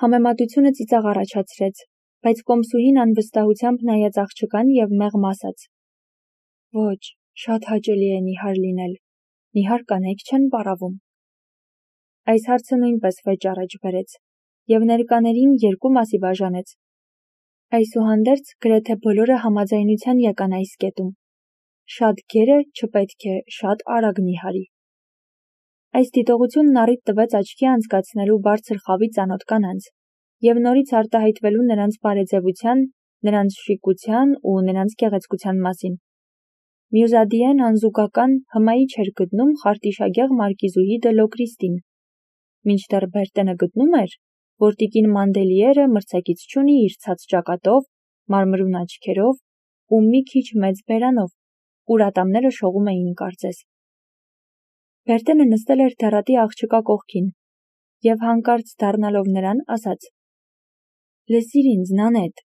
Համեմատությունը ծիծաղ առաջացրեց, բայց կոմսուհին անվստահությամբ նայեց աղջկան և մեղմ ասաց. «Ոչ, շատ հաճելի է նիհար լինել, նիհար կանայք չեն պարավում»։ Այս հարցը նույնպես վեճ առաջ բերեց, և ներկաներին երկու մասի բաժանեց։ Այսուհանդերձ գրեթե բոլորը համաձայնության եկան այս կետում. շատ գերը չպետք է շատ արագ նիհարի։ Այս դիտողությունն առիթ տվեց աչքի անցկացնելու բարձր խավի ծանոթ կանանց և նորից արտահայտվելու նրանց բարեձևության, նրանց շիկության ու նրանց գեղեցկության մասին։ Մյուզադիեն անզուգական հմայի չէր գտնում խարտիշագեղ մարկիզուհի դը Լոկրիստին, մինչդեռ Բերտենը գտնում էր, որ տիկին Մանդելիերը մրցակից չունի իր ցած ճակատով, մարմրուն աչքերով ու մի քիչ մեծ բերանով, ուր ատամները շողում էին կարծես։ Բերտենը նստել էր դառատի աղջկա կողքին և հանկարծ դառնալով նրան ասաց. «Լսիր ինձ, Նանետ,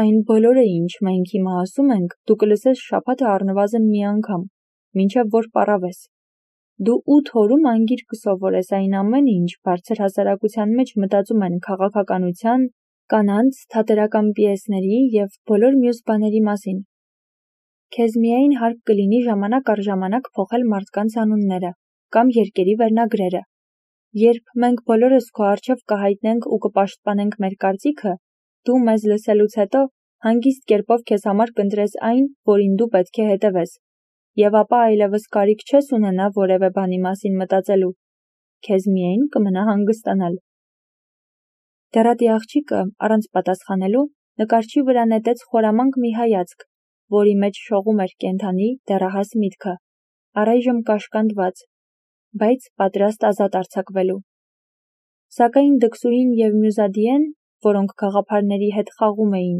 այն բոլորը, ինչ մենք հիմա ասում ենք, դու կլսես շաբաթը առնվազն մի անգամ, մինչև որ պառավես։ Դու 8 օրում անգիր կսովորես այն ամենը, ինչ բարձր հասարակության մեջ մտածում են քաղաքականության, կանանց, թատերական պիեսների և բոլոր մյուս բաների մասին։ Քեզ միայն հարկ կլինի ժամանակ առ ժամանակ փոխել մարդկանց անունները կամ երկերի վերնագրերը։ Երբ մենք բոլորս քո առջև կհայտնենք ու կպաշտպանենք մեր կարծիքը, դու մեզ լսելուց հետո հանգիստ կերպով քեզ համար կընտրես այն, որին դու պետք է հետևես, և ապա այլևս կարիք չես ունենա որևէ բանի մասին մտածելու։ Քեզ միայն կմնա հանգստանալ»։ Դառատի աղջիկը, առանց պատասխանելու, նկարչի վրա նետեց խորամանկ մի հայացք, որի մեջ շողում էր կենդանի, դեռահաս միտքը, առայժմ կաշկանդված, բայց պատրաստ ազատ արձակվելու։ Սակայն դքսուհին և Մյուզադիեն, որոնք գաղափարների հետ խաղում էին,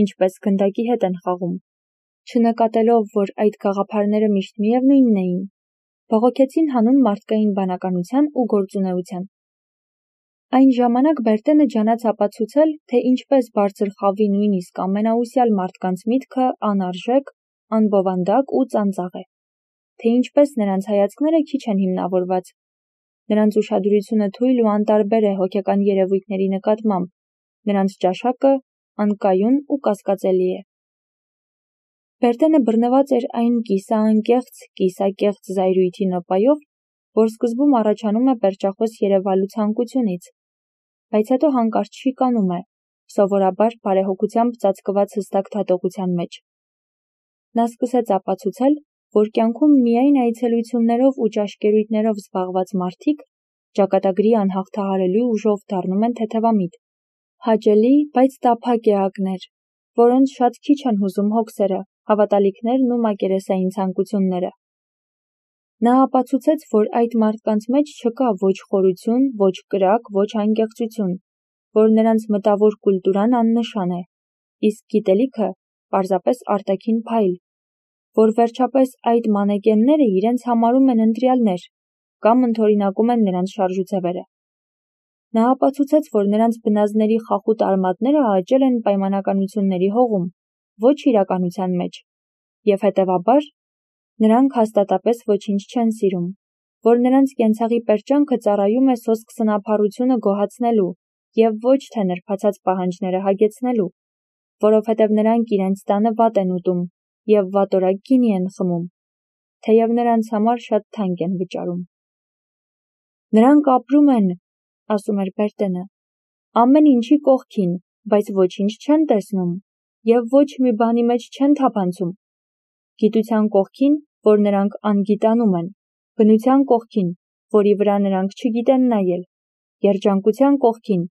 ինչպես գնդակի հետ են խաղում, չնկատելով, որ այդ գաղափարները միշտ միևնույնն էին, բողոքեցին հանուն մարդկային բանականության ու գործունեության։ Այն ժամանակ Բերտենը ջանաց ապացուցել, թե ինչպես բարձր խավի նույնիսկ ամենաուսյալ մարդկանց միտքը անարժեք, անբովանդակ ու ծանծաղ է, թե ինչպես նրանց հայացքները քիչ են հիմնավորված, նրանց ուշադրությունը թույլ ու անտարբեր է հոգեկան երևույթների նկատմամբ, նրանց ճաշակը անկայուն ու կասկածելի է։ Բերտենը բռնված էր այն կիսաանկեղծ, կիսակեղծ զայրույթի նոպայով, որ սկզբում առաջանում է պերճախոս երևալու ցանկությունից, բայց հետո հանկարծ շիկանում է, սովորաբար բարեհոգությամբ ծածկված հստակ դատողության մեջ։ Նա սկսեց ապացուցել, որ կյանքում միայն այցելություններով ու ճաշկերույթներով զբաղված մարդիկ ճակատագրի անհաղթահարելի ուժով դառնում են թեթևամիտ, հաճելի, բայց տափակ էակներ, որոնց շատ քիչ են հուզում հոգսերը, հավատալիքներն ու մակերեսային ցանկությունները։ Նա ապացուցեց, որ այդ մարդկանց մեջ չկա ոչ խորություն, ոչ կրակ, ոչ անկեղծություն, որ նրանց մտավոր կուլտուրան աննշան է, իսկ գիտելիքը պարզապես արտաքին փայլ, որ վերջապես այդ մանեկենները իրենց համարում են ընտրյալներ կամ ընդօրինակում են նրանց շարժուձևերը։ Նա ապացուցեց, որ նրանց բնազդների խախուտ արմատները աճել են պայմանականությունների հողում, ոչ իրականության մեջ, և հետևաբար նրանք հաստատապես ոչինչ չեն սիրում, որ նրանց կենցաղի պերճանքը ծառայում է սոսկ սնափառությունը գոհացնելու և ոչ թե նրբացած պահանջները հագեցնելու, որովհետև նրանք իրենց տանը վատ են ուտում և վատորակ գինի են խմում, թեև նրանց համար շատ թանկ են վճարում։ «Նրանք ապրում են, — ասում էր Բերտենը, — ամեն ինչի կողքին, բայց ոչինչ չեն տեսնում և ոչ մի բանի մեջ չեն թափանցում։ Գիտության կողքին, որ նրանք անգիտանում են, բնության կողքին, որի վրա նրանք չգիտեն նայել, երջանկության կողքին,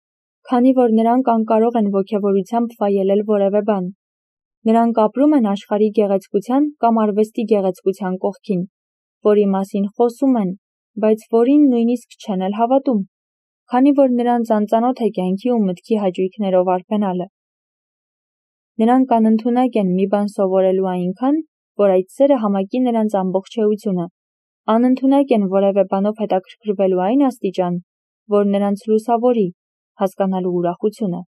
քանի որ նրանք անկարող են ոգևորությամբ վայելել որևէ բան։ Նրանք ապրում են աշխարհի գեղեցկության կամ արվեստի գեղեցկության կողքին, որի մասին խոսում են, բայց որին նույնիսկ չեն էլ հավատում, քանի որ նրանց անծանոթ է կյանքի ու մտքի հաճույքներով արբենալը։ Նրանք անընդունակ են մի բան սովորելու այնքան, որ այդ սերը համակի նրանց ամբողջ էությունը, անընդունակ են որևէ բանով հետաքրքրվելու այն աստիճան, որ նրանց լուսավորի, հասկանալու ուրախությունը»։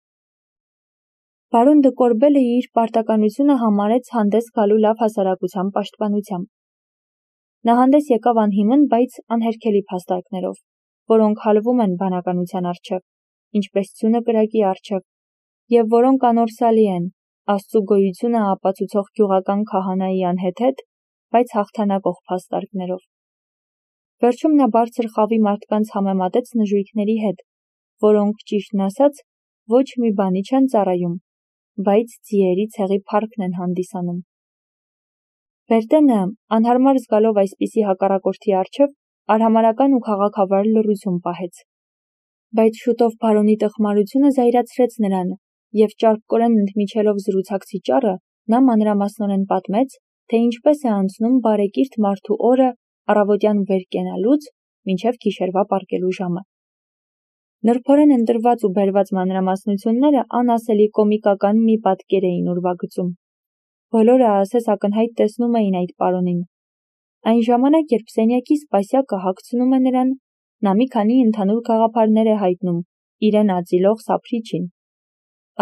Բարոն դը Կորբելը իր պարտականությունը համարեց հանդես գալու լավ հասարակության պաշտպանությամբ։ Նա հանդես եկավ անհիմն, բայց անհերքելի փաստարկներով, որոնք հալվում են բանականության առջև։ ինչպես ցունը կրակի առջև, և որոնք անորսալի են, Աստծու գոյությունը ապացուցող գյուղական քահանայի անհեթեթ, բայց հաղթանակող փաստարկներով։ Վերջում նա բարձր խավի մարդկանց համեմատեց նժույգների հետ, որոնք, ճիշտն ասած, ոչ մի բանի չեն ծառայում, բայց ձիերի ցեղի փառքն են հանդիսանում։ Բերտենը, անհարմար զգալով այսպիսի հակառակորդի առջև, արհամարհական ու քաղաքավար լռություն պահեց։ Բայց շուտով բարոնի տխմարությունը զայրացրեց նրան, և ճարպկորեն ընդմիջելով զրուցակցի ճառը, նա մանրամասնորեն պատմեց, թե ինչպես է անցնում բարեկիրթ մարդու օրը առավոտյան վեր կենալուց մինչև գիշերվա պառկելու ժամը։ Նրբորեն ընտրված ու բերված մանրամասնությունները անասելի կոմիկական մի պատկեր էին ուրվագծում։ Բոլորը ասես ակնհայտ տեսնում էին այդ պարոնին։ Այն ժամանակ, երբ սենյակի սպասյակը հագցնում է նրան, նա մի քանի ընդհանուր գաղափարներ է հայտնում իրեն ածիլող սափրիչին։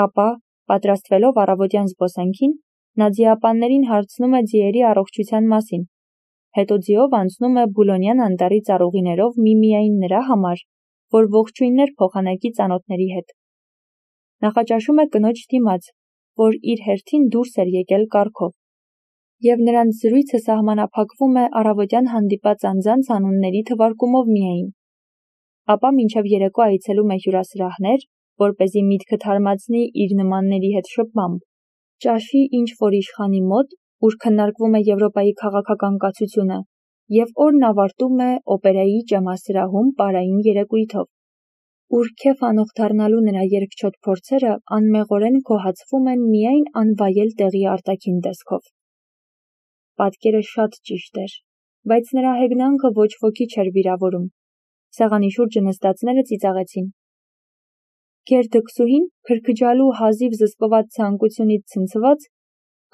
Ապա, պատրաստվելով առավոտյան զբոսանքին, նա ձիապաններին հարցնում է ձիերի առողջության մասին, հետո ձիով անցնում է Բուլոնյան անտառի ծառուղիներով միմիայն նրա համար, որ ողջույններ փոխանակի ծանոթների հետ։ Նախաճաշում է կնոջ դիմաց, որ իր հերթին դուրս էր եկել կառքով, և նրանց զրույցը սահմանափակվում է առավոտյան հանդիպած անձանց անունների թվարկումով միայն։ Ապա մինչև երեկո այցելում է հյուրասրահներ, որպեսզի միտքը թարմացնի իր նմանների հետ շփմամբ, ճաշի ինչ-որ իշխանի մոտ, ուր քննարկվում է Եվրոպայի քաղաքական կացությունը, և օրն ավարտում է օպերայի ճեմասրահում պարային երեկույթով, ուր քեֆ անող դառնալու նրա երկչոտ փորձերը անմեղորեն գոհացվում են միայն անվայել տեղի արտաքին տեսքով։ Պատկերը շատ ճիշտ էր, բայց նրա հեգնանքը ոչ ոքի չէր վիրավորում։ Սեղանի շուրջը նստածները ծիծաղեցին։ Գերդքսուհին, քրքջալու հազիվ զսպված ցանկությունից ցնցված,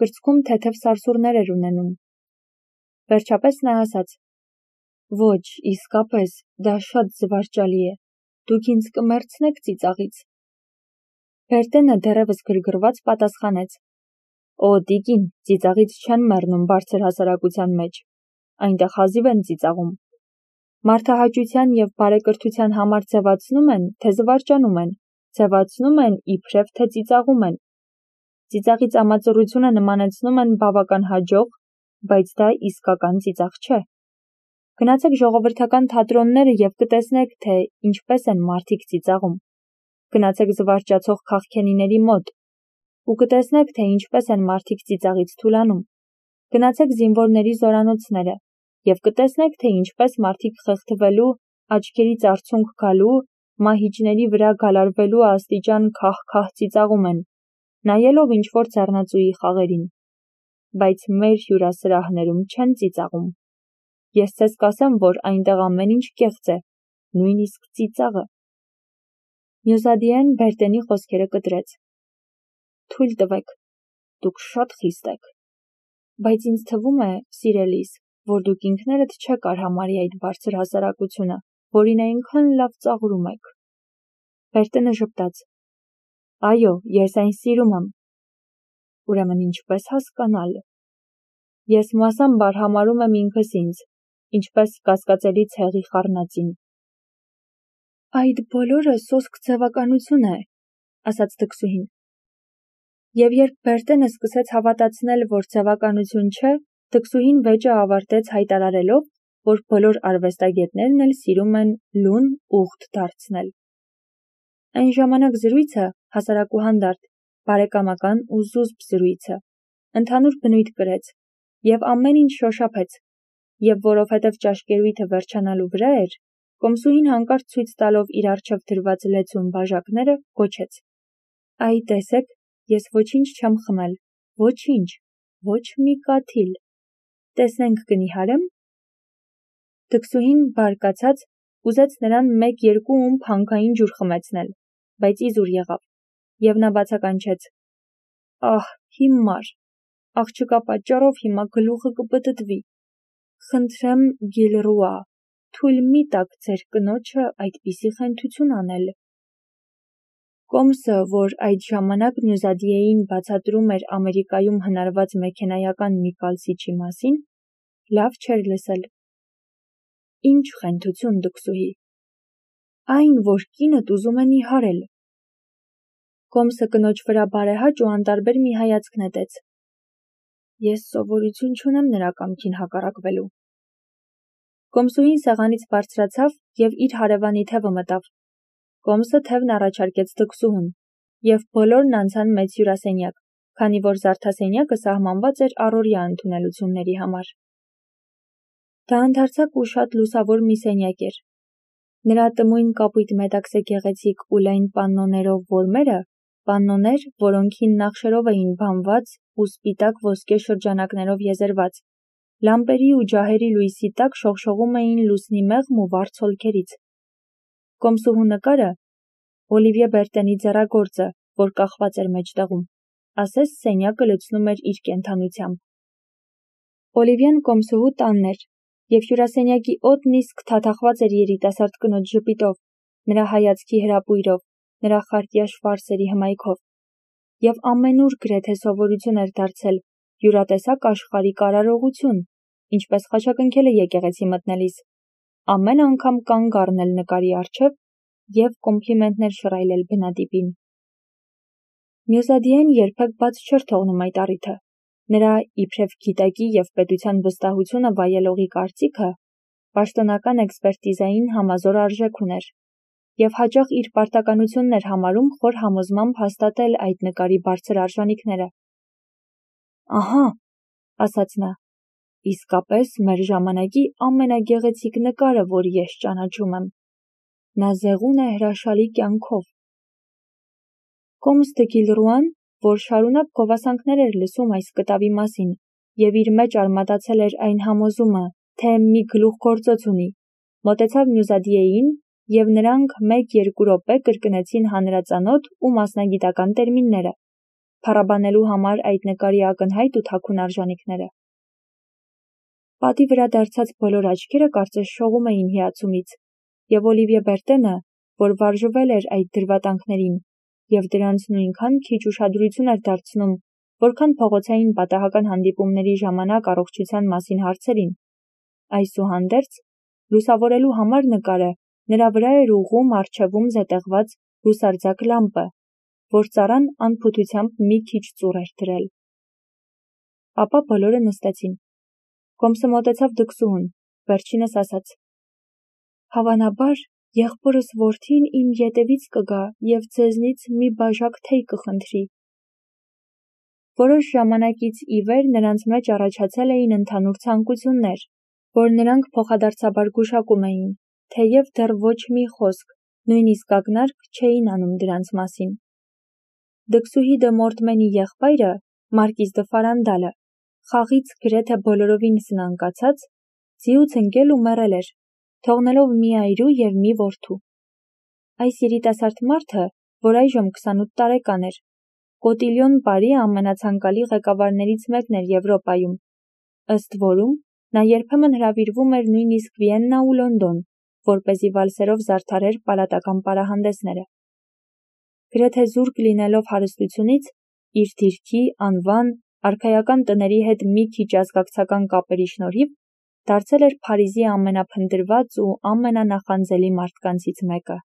կրծքում թեթև սարսուռներ էր ունենում։ Վերջապես նա ասաց. «Ոչ, իսկապես, դա շատ զվարճալի է, դուք ինձ կմեռցնեք ծիծաղից»։ Բերտենը դեռևս գրգռված պատասխանեց. «Օ, տիկին, ծիծաղից չեն մեռնում բարձր հասարակության մեջ, այնտեղ հազիվ են ծիծաղում։ Մարդահաճության և բարեկրթության համար ձևացնում են, թե զվարճանում են, ձևացնում են, իբրև թե ծիծաղում են։ Ծիծաղի ծամածռությունը նմանեցնում են բավական հաջող, բայց դա իսկական ծիծաղ չէ։ Գնացեք ժողովրդական թատրոնները և կտեսնեք, թե ինչպես են մարդիկ ծիծաղում։ Գնացեք զվարճացող քաղքենիների մոտ ու կտեսնեք, թե ինչպես են մարդիկ ծիծաղից թուլանում։ Գնացեք զինվորների զորանոցները և կտեսնեք, թե ինչպես մարդիկ խեղդվելու, աչքերից արցունք գալու, մահիճների վրա գալարվելու աստիճան քահ-քահ ծիծաղում են, նայելով ինչ-որ ձեռնածուի խաղերին։ Բայց մեր հյուրասրահներում չեն ծիծաղում։ Ես ձեզ կասեմ, որ այնտեղ ամեն ինչ կեղծ է, նույնիսկ ծիծաղը»։ Մյուզադիեն Բերտենի խոսքերը կտրեց. «Թույլ տվեք, դուք շատ խիստ եք, բայց ինձ թվում է, սիրելիս, որ դուք ինքներդ չեք արհամարհի այդ բարձր հասարակությունը, որին այնքան լավ ծաղրում եք»։ Բերտենը ժպտաց. «Այո, ես այն սիրում եմ»։ Ուրեմն ինչպես հասկանալ։ Ես մասամբ արհամարհում եմ ինքս ինձ, ինչպես կասկածելի ցեղի խառնածին։ Այդ բոլորը սոսկ ձևականություն է, ասաց դքսուհին։ Եվ երբ Բերտենը սկսեց հավատացնել, որ ձևականություն չէ, դքսուհին վեճը ավարտեց հայտարարելով, որ բոլոր արվեստագետներն էլ սիրում են լուն ուղտ դարձնել։ Այն ժամանակ զրույցը, հասարակուհանդարտ, բարեկամական ու զուսպ զրույցը, ընդհանուր բնույթ կրեց, և ամեն ինչ շոշափեց, և որովհետև ճաշկերույթը վերջանալու վրա էր, կոմսուհին հանկարծ ցույց տալով իր առջև դրված լեցուն բաժակները, գոչեց. «Այ տեսեք, ես ոչինչ չեմ խմել, ոչինչ, ոչ մի կաթիլ։ Տեսնենք կնիհարեմ»։ Դքսուհին, բարկացած, ուզեց նրան 1-2 ումպ հանքային ջուր խմեցնել, բայց իզուր եղավ, և նա բացականչեց. «Ահ, հիմար, աղջկա պատճառով հիմա գլուխը կպտտվի։ Խնդրեմ, Գիլռուա, թույլ մի տաք ձեր կնոջը այդպիսի խենթություն անել»։ Կոմսը, որ այդ ժամանակ Մյուզադիեին բացատրում էր Ամերիկայում հնարված մեքենայական մի կալսիչի մասին, լավ չէր լսել։ «Ինչ խենթություն, դքսուհի»։ Այն, որ կինդ ուզում է նիհարել։ Կոմսը կնոջ վրա բարեհաճ ու անտարբեր մի հայացք նետեց։ Ես սովորություն չունեմ նրա կամքին հակառակվելու։ Կոմսուհին սեղանից բարձրացավ և իր հարևանի թևը մտավ։ Կոմսը թևն առաջարկեց դքսուհուն, և բոլորն անցան մեծ հյուրասենյակ, քանի որ զարդասենյակը սահմանված էր առօրյա ընդունելությունների համար։ Դա ընդարձակ ու շատ լուսավոր մի սենյակ էր։ Նրա տմույն կապույտ մետաքսե գեղեցիկ ու լայն պաննոներով որմերը, պաննոներ, որոնքին նախշերով էին բանված ու սպիտակ ոսկե շրջանակներով եզերված, լամպերի ու ջահերի լույսի տակ շողշողում էին լուսնի մեղմ ու վառ ցոլքերից։ Կոմսուհու նկարը Օլիվիե Բերտենի ձեռագործը, որ կախված էր մեջտեղում, ասես սենյակը լցնում էր իր կենդանությամբ։ Օլիվիեն կոմսուհու տանն էր, և հյուրասենյակի օդն իսկ թաթախված էր երիտասարդ կնոջ ժպիտով, նրա հայացքի հրապույրով, նրա խարտյա շվարսերի հմայքով, և ամենուր գրեթե սովորություն էր դարձել յուրատեսակ աշխարհիկ արարողություն, ինչպես խաչակնքել է եկեղեցի մտնելիս, ամեն անգամ կանգ առնել նկարի առջև և կոմպլիմենտներ շռայլել բնատիպին։ Մյուզադիեն երբեք բաց չէր թողնում այդ առիթը։ Նրա իբրև գիտակի և պետության վստահությունը վայելողի կարծիքը պաշտոնական էքսպերտիզային համազոր արժեք ուներ, և հաճախ իր պարտականությունն էր համարում խոր համոզմամբ հաստատել այդ նկարի բարձր արժանիքները։ Ահա, ասաց նա, իսկապես մեր ժամանակի ամենագեղեցիկ նկարը, որ ես ճանաչում եմ։ Նա զեղուն է հրաշալի կյանքով։ Կոմս դը Գիլռուան, որ շարունակ գովասանքներ էր լսում այս կտավի մասին, և իր մեջ արմատացել էր այն համոզումը, թե մի գլուխգործոց ունի, մոտեցավ Մյուզադիեին, և նրանք 1-2 րոպե կրկնեցին հանրածանոթ ու մասնագիտական տերմինները, փառաբանելու համար այդ նկարի ակնհայտ ու թաքուն արժանիքները։ Պատի վրա դարձած բոլոր աչքերը կարծես շողում էին հիացումից, և Օլիվիե Բերտենը, որ վարժվել էր այդ դրվատանքներին, և դրանց նույնքան քիչ ուշադրություն էր դարձնում, որքան փողոցային պատահական հանդիպումների ժամանակ առողջության մասին հարցերին, այսուհանդերձ, լուսավորելու համար նկարը, նրա վրա էր ուղղում առջևում զետեղված հուսարձակ լամպը, որ ծառան անփութությամբ մի քիչ ծուռ էր դրել։ Ապա բոլորը նստեցին։ Կոմսը մոտեցավ դքսուհուն, վերջինս ասաց. Հավանաբար, եղբորս որդին իմ ետևից կգա և ձեզնից մի բաժակ թեյ կխնդրի։ Որոշ ժամանակից ի վեր նրանց մեջ առաջացել էին ընդհանուր ցանկություններ, որ նրանք փոխադարձաբար գուշակում էին, թեև դեռ ոչ մի խոսք, նույնիսկ ակնարկ չէին անում դրանց մասին։ Դքսուհի դը Մորտմենի եղբայրը, Մարկիզ դը Ֆարանդալը, խաղից գրեթե բոլորովին սնանկացած, ձիուց ընկել ու մեռել էր, թողնելով մի այրու և մի որդու։ Այս երիտասարդ մարդը, որ այժմ 28 տարեկան էր, Կոտիլյոն բարի ամենացանկալի ղեկավարներից մեկն էր Եվրոպայում, ըստ որում նա երբեմն հրավիրվում էր նույնիսկ Վիեննա ու Լոնդոն, որպեսզի վալսերով զարդարեր պալատական պարահանդեսները։ Գրեթե զուրկ լինելով հարստությունից, իր դիրքի, անվան, արքայական տների հետ մի քիչ ազգակցական կապերի շնորհիվ, դարձել էր Փարիզի ամենափնտրված ու ամենանախանձելի մարդկանցից մեկը։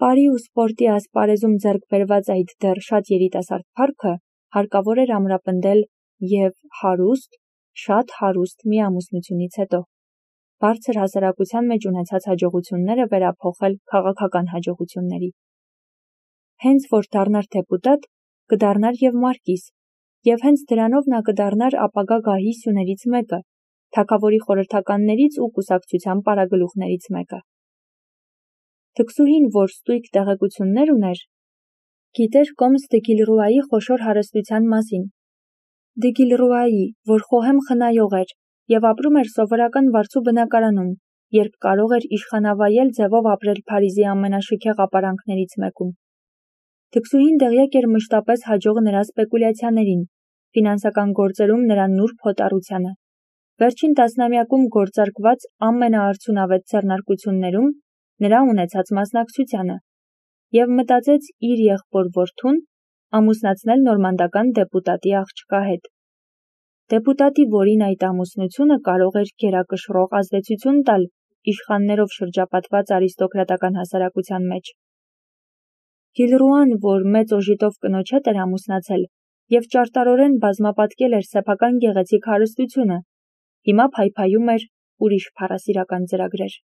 Պարի ու սպորտի ասպարեզում ձեռք բերված այդ դեռ շատ երիտասարդ փառքը հարկավոր էր ամրապնդել և հարուստ, շատ հարուստ մի ամուսնությունից հետո, բարձր հասարակության մեջ ունեցած հաջողությունները վերափոխել քաղաքական հաջողությունների։ Հենց որ դառնար դեպուտատ, կդառնար և մարկիս, և հենց դրանով նա կդառնար ապագա գահի սյուներից մեկը, թագավորի խորհրդականներից ու կուսակցության պարագլուխներից մեկը։ Դքսուհին, որ ստույգ տեղեկություններ ուներ, գիտեր Կոմս դը Գիլռուայի խոշոր հարստության մասին։ Դը Գիլռուայի, որ խոհեմ խնայող էր և ապրում էր սովորական վարձու բնակարանում, երբ կարող էր իշխանավայել ձևով ապրել Փարիզի ամենաշքեղ ապարանքներից մեկում։ Դքսուհին տեղյակ էր մշտապես հաջող նրա սպեկուլյացիաներին, ֆինանսական գործերում նրա նուրբ հոտառությանը, վերջին տասնամյակում գործարկված ամենաարդյունավետ ձեռնարկություններում նրա ունեցած մասնակցությանը, և մտածեց իր եղբոր որդուն ամուսնացնել նորմանդական դեպուտատի աղջկա հետ։ Դեպուտատի, որին այդ ամուսնությունը կարող էր գերակշռող ազդեցություն տալ իշխաններով շրջապատված արիստոկրատական հասարակության մեջ։ Գիլռուան, որ մեծ օժիտով կնոջ հետ էր ամուսնացել և ճարտարորեն բազմապատկել էր սեփական գեղեցիկ հարստությունը, հիմա փայփայում էր ուրիշ փառասիրական ծրագրեր։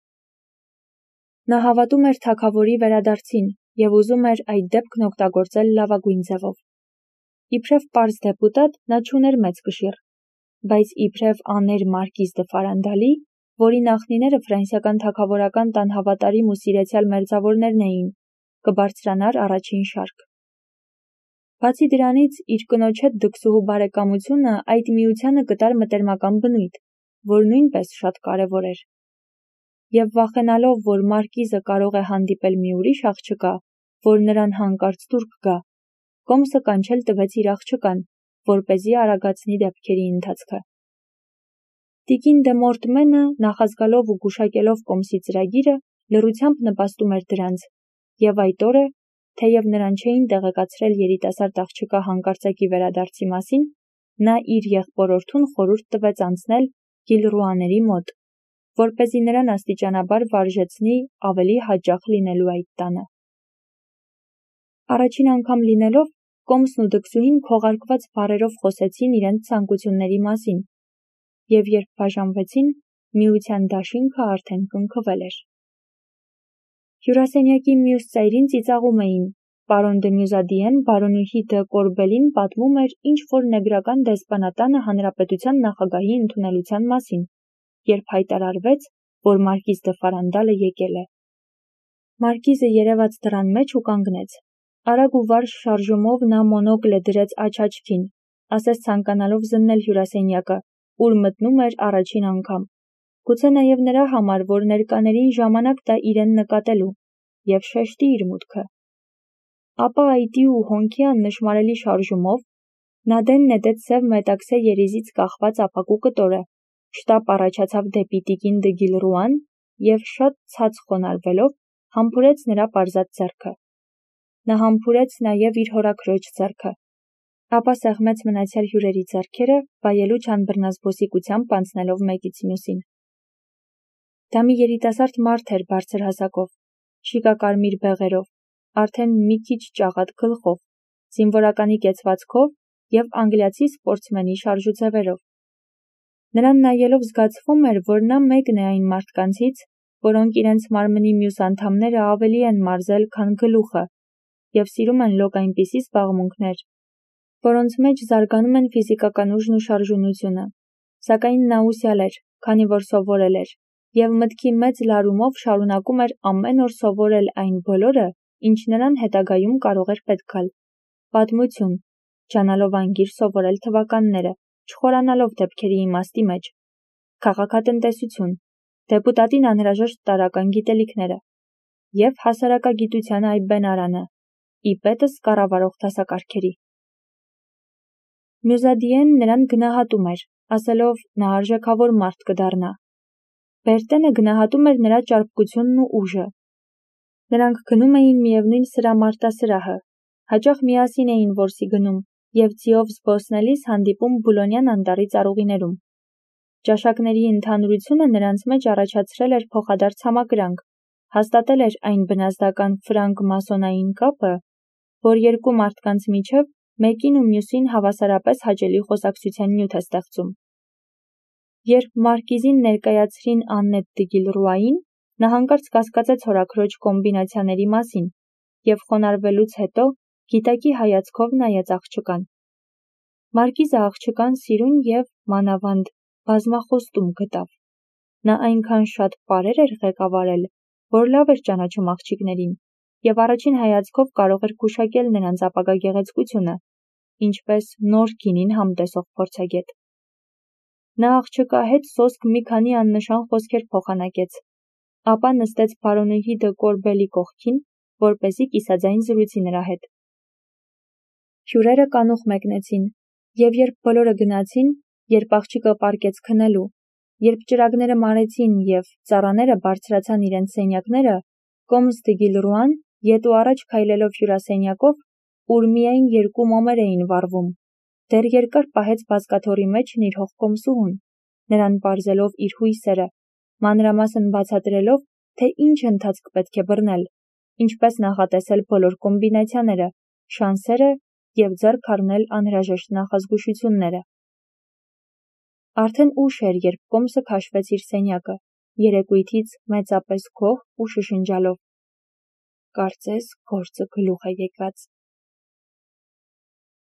Նա հավատում էր թագավորի վերադարձին և ուզում էր այդ դեպքն օգտագործել լավագույն ձևով։ Իբրև պարզ դեպուտատ նա չուներ մեծ կշիռ, բայց իբրև աներ մարկիզ դը Ֆարանդալի, որի նախնիները ֆրանսիական թագավորական տան հավատարիմ ու սիրեցյալ մերձավորներն էին, կբարձրանար առաջին շարք։ Բացի դրանից, իր կնոջ հետ դքսուհու բարեկամությունը այդ միությանը կտար մտերմական բնույթ, որ նույնպես շատ կարևոր էր։ Եվ վախենալով, որ մարկիզը կարող է հանդիպել մի ուրիշ աղջկա, որ նրան հանկարծ դուր կգա, կոմսը կանչել տվեց իր աղջկան, որպեսզի արագացնի դեպքերի ընթացքը։ Տիկին դե Մորտմենը, նախազգալով ու գուշակելով կոմսի ծրագիրը, լռությամբ նպաստում էր դրանց, և այդ օրը, թեև նրան չէին տեղեկացրել երիտասարդ աղջկա հանկարծակի վերադարձի մասին, նա իր եղբորորդուն խորհուրդ տվեց անցնել Գիլռուաների մոտ, որպեսզի նրան աստիճանաբար վարժեցնի ավելի հաճախ լինելու այդ տանը։ Առաջին անգամ լինելով, կոմսն ու դքսուհին քողարկված բառերով խոսեցին իրենց ցանկությունների մասին, և երբ բաժանվեցին, միության դաշինքը արդեն կնքվել էր։ Հյուրասենյակի մյուս ծայրին ծիծաղում էին, պարոն դե Մյուզադիեն բարոնուհի դը Կորբելին պատմում էր ինչ-որ նեգրական դեսպանատանը հանրապետության նախագահի ընդունելության մասին, երբ հայտարարվեց, որ մարկիզ դը Ֆարանդալը եկել է։ Մարկիզը երևաց դռան մեջ ու կանգնեց։ Արագ ու վարժ շարժումով նա մոնոկլը դրեց աչքին, ասես ցանկանալով զննել հյուրասենյակը, ուր մտնում էր առաջին անգամ, գուցե նաև նրա համար, որ ներկաներին ժամանակ տա իրեն նկատելու, և շեշտի իր մուտքը։ Ապա այտի ու հոնքի աննշմարելի շարժումով նա դեն նետեց սև մետաքսե երիզից կախված ապակու կտորը, շտապ առաջացավ դեպի տիկին դը Գիլռուան և շատ ցած խոնարհվելով համբուրեց նրա պարզած ձեռքը։ Նա համբուրեց նաև իր հորաքրոջ ձեռքը, ապա սեղմեց մնացյալ հյուրերի ձեռքերը, վայելու չանբռնազբոսիկությամբ անցնելով մեկից մյուսին։ Դա մի երիտասարդ մարդ էր բարձր հասակով, շիկակարմիր բեղերով, արդեն մի քիչ ճաղատ գլխով, զինվորականի կեցվածքով և անգլիացի սպորտսմենի շարժուձևերով։ Նրան նայելով զգացվում էր, որ նա մեկն է այն մարդկանցից, որոնք իրենց մարմնի մյուս անդամները ավելի են մարզել, քան գլուխը, և սիրում են լոկ այնպիսի զբաղմունքներ, որոնց մեջ զարգանում են ֆիզիկական ուժն ու շարժունությունը, սակայն նա ուսյալ էր, քանի որ սովորել էր, և մտքի մեծ լարումով շարունակում էր ամեն օր սովորել այն բոլորը, ինչ նրան հետագայում կարող էր պետք գալ։ Պատմություն, ջանալով անգիր սովորել թվականները, չխորանալով դեպքերի իմաստի մեջ, քաղաքատնտեսություն, դեպուտատին անհրաժեշտ տարրական գիտելիքները և հասարակագիտության այբբենարանը, ի պետս կառավարող դասակարգերի։ Մյուզադիեն նրան գնահատում էր, ասելով նա արժեքավոր մարդ կդառնա։ Բերտենը գնահատում էր նրա ճարպկությունն ու ուժը։ Նրանք գնում էին միևնույն սրամարտասրահը, հաճախ միասին էին որսի գնում և ձիով զբոսնելիս հանդիպում Բուլոնյան անտառի ծառուղիներում։ Ճաշակների ընդհանուրությունը նրանց մեջ առաջացրել էր փոխադարձ համակրանք, հաստատել էր այն բնազդական ֆրանկ-մասոնային կապը, որ երկու մարդկանց միջև մեկին ու մյուսին հավասարապես հաճելի խոսակցության նյութ է ստեղծում։ Երբ մարկիզին ներկայացրին Աննետ դը Գիլռուային, նա հանկարծ կասկածեց հորաքրոջ կոմբինացիաների մասին և խոնարհվելուց հետո գիտակի հայացքով նայեց աղջկան։ Մարկիզը աղջկան սիրուն և, մանավանդ, բազմախոստում գտավ։ Նա այնքան շատ պարեր էր ղեկավարել, որ լավ էր ճանաչում աղջիկներին և առաջին հայացքով կարող էր գուշակել նրանց ապագա գեղեցկությունը, ինչպես նոր գինին համտեսող փորձագետ։ Նա աղջկա հետ սոսկ մի քանի աննշան խոսքեր փոխանակեց, ապա նստեց բարոնուհի դը Կորբելի կողքին, որպեսզի կիսաձայն զրույցի նրա հետ։ Հյուրերը կանուխ մեկնեցին, և երբ բոլորը գնացին, երբ աղջիկը պառկեց քնելու, երբ ճրագները մարեցին և ծառաները բարձրացան իրենց սենյակները, կոմս դը Գիլռուան, ետ ու առաջ քայլելով հյուրասենյակով, ուր միայն երկու մոմեր էին վառվում, դեռ երկար պահեց բազկաթոռի մեջ նիրհող կոմսուհուն, նրան պարզելով իր հույսերը, մանրամասն բացատրելով, թե ինչ ընթացք պետք է բռնել, ինչպես նախատեսել բոլոր կոմբինացիաները, շանսերը և ձեռք առնել անհրաժեշտ նախազգուշությունները։ Արդեն ուշ էր, երբ կոմսը քաշվեց իր սենյակը, երեկույթից մեծապես գոհ ու շշնջալով. «Կարծես գործը գլուխ է եկած»։